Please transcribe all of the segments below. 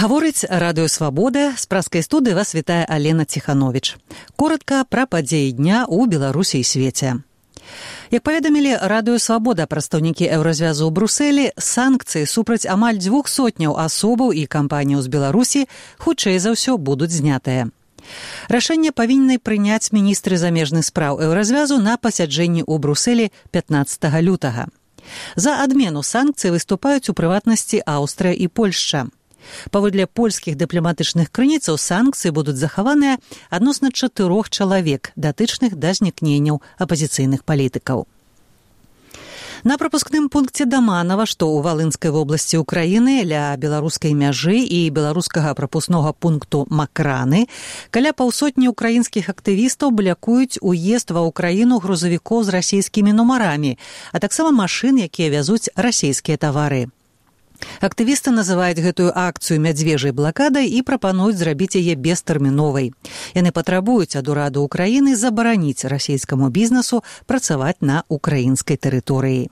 Гаворыць Радыё Свабода, з праскай студыі вас вітае Алена Ціхановіч. Коротка пра падзеі дня ў Беларусі і свеце. Як паведамілі Радыё Свабода прадстаўнікі Еўразвязу ў Брусэлі, санкцыі супраць амаль 200 асобаў і кампаніяў з Беларусі хутчэй за ўсё будуць знятыя. Рашэнне павінны прыняць міністры замежных спраў Еўразвязу на пасяджэнні ў Брусэлі 15 лютага. За адмену санкцый выступаюць у прыватнасці Аўстрыя і Польшча. Паводле польскіх дыпламатычных крыніцаў санкцыі будуць захаваныя адносна 4 чалавек, датычных да знікненняў апазіцыйных палітыкаў. На прапускным пункце Даманава, што ў Валынскай вобласці Украіны, ля беларускай мяжы і беларускага прапускнога пункту Макраны, каля паўсотні украінскіх актывістаў блякуюць уезд ва ўкраіну грузавікоў з расійскімі нумарамі, а таксама машын, якія вязуць расійскія тавары. Актывісты называюць гэтую акцыю мядзвежай блакадай і прапануюць зрабіць яе бестэрміновай. Яны патрабуюць ад ураду Украіны забараніць расійскаму бізнесу працаваць на украінскай тэрыторыі.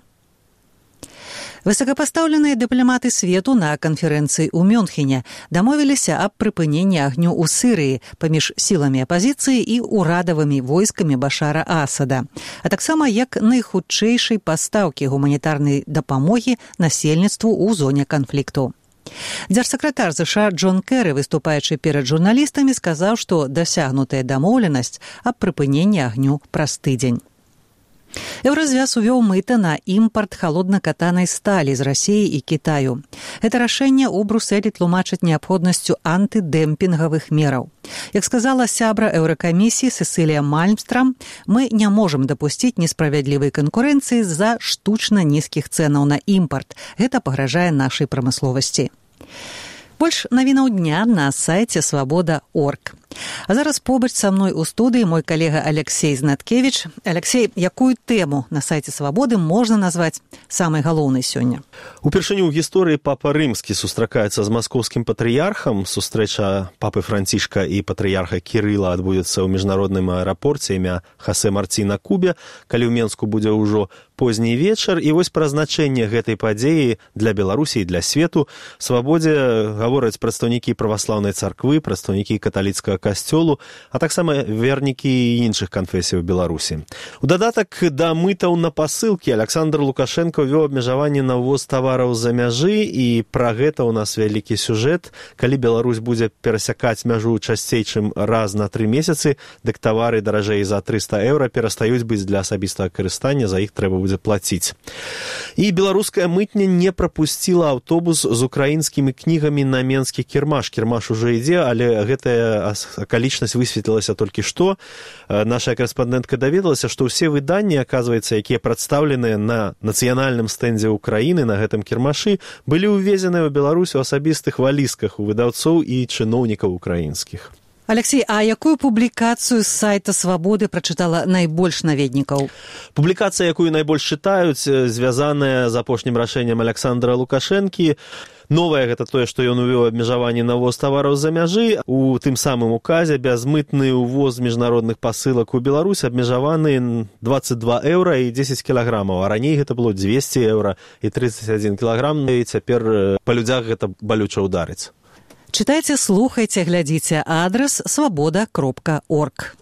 Высокапастаўленыя дыпламаты свету на канферэнцыі ў Мюнхене дамовіліся аб прыпыненні агню ў Сірыі паміж сіламі апазіцыі і ўрадавымі войскамі Башара Асада, а таксама як найхутчэйшай пастаўкі гуманітарнай дапамогі насельніцтву ў зоне канфлікту. Дзяржсакратар США Джон Кэры, выступаючы перад журналістамі, сказаў, што дасягнутая дамоўленасць аб прыпыненні агню праз тыдзень. Еўразвяз увёў мыта на імпарт халодна-катанай сталі з Расіі і Кітаю. Гэта рашэнне ў Брусэлі тлумачыць неабходнасцю антыдэмпінгавых мераў. Як сказала сябра Еўракамісіі Сесілія Мальмстрам, мы не можам дапусціць несправядлівай канкурэнцыі з-за штучна нізкіх цэнаў на імпарт. Гэта пагражае нашай прамысловасці. Больш навінаў дня на сайце свабода.орг. А зараз побач са мной у студыі мой калега Алексей Знаткевіч. Алексей, якую тэму на сайце Свабоды можна назваць самай галоўнай сёння? Упершыню ў гісторыі папа Рымскі сустракаецца з маскоўскім патрыярхам. Сустрэча папы Францішка і патрыярха Кірыла адбудзецца ў міжнародным аэрапорце імя Хасе Марці на Кубе, калі ў Менску будзе ўжо позні вечар. І вось пра значэнне гэтай падзеі для Беларусі і для свету Свабодзе гавораць прадстаўнікі праваслаўнай царквы, прадстаўнікі каталіцкага касцёлу, а таксама вернікі іншых канфесій у Беларусі. У дадатак да мытаў на пасылкі Александр Лукашенко вёў абмежаванне на ўвоз тавараў з-за мяжы, і пра гэта ў нас вялікі сюжэт. Калі Беларусь будзе перасякаць мяжу часцей, чым раз на 3 месяцы, дык тавары даражэй за 300 еўра перастаюць быць для асабістага карыстання, за іх трэба будзе плаціць. І беларуская мытня не прапусціла аўтобус з украінскімі кнігамі на менскі кірмаш. Кірмаш ужо ідзе, але гэтая акалічнасць высветлілася толькі што. Наша корэспандэнтка даведалася, што ўсе выданні, аказваецца, якія прадстаўленыя на нацыянальным стэндзе Украіны на гэтым кірмашы, былі ўвезеныя ў Беларусь у асабістых валізках у выдаўцоў і чыноўнікаў украінскіх. Алексей, а якую публікацыю з сайта Свабоды прачытала найбольш наведнікаў? Публікацыя, якую найбольш чытаюць, звязаная з апошнім рашэннем Александра Лукашэнкі. Новае гэта тое, што ён увёў абмежаванне на ўвоз тавараў з-за мяжы. У тым самым указе бязмытны ўвоз міжнародных пасылак у Беларусь абмежаваны 22 еўра і 10 кілаграмаў, а раней гэта было 200 еўра і 31 кілаграм, і цяпер па людзях гэта балюча ўдарыць. Чытайце, слухайце, глядзіце. Адрас свабода.орг.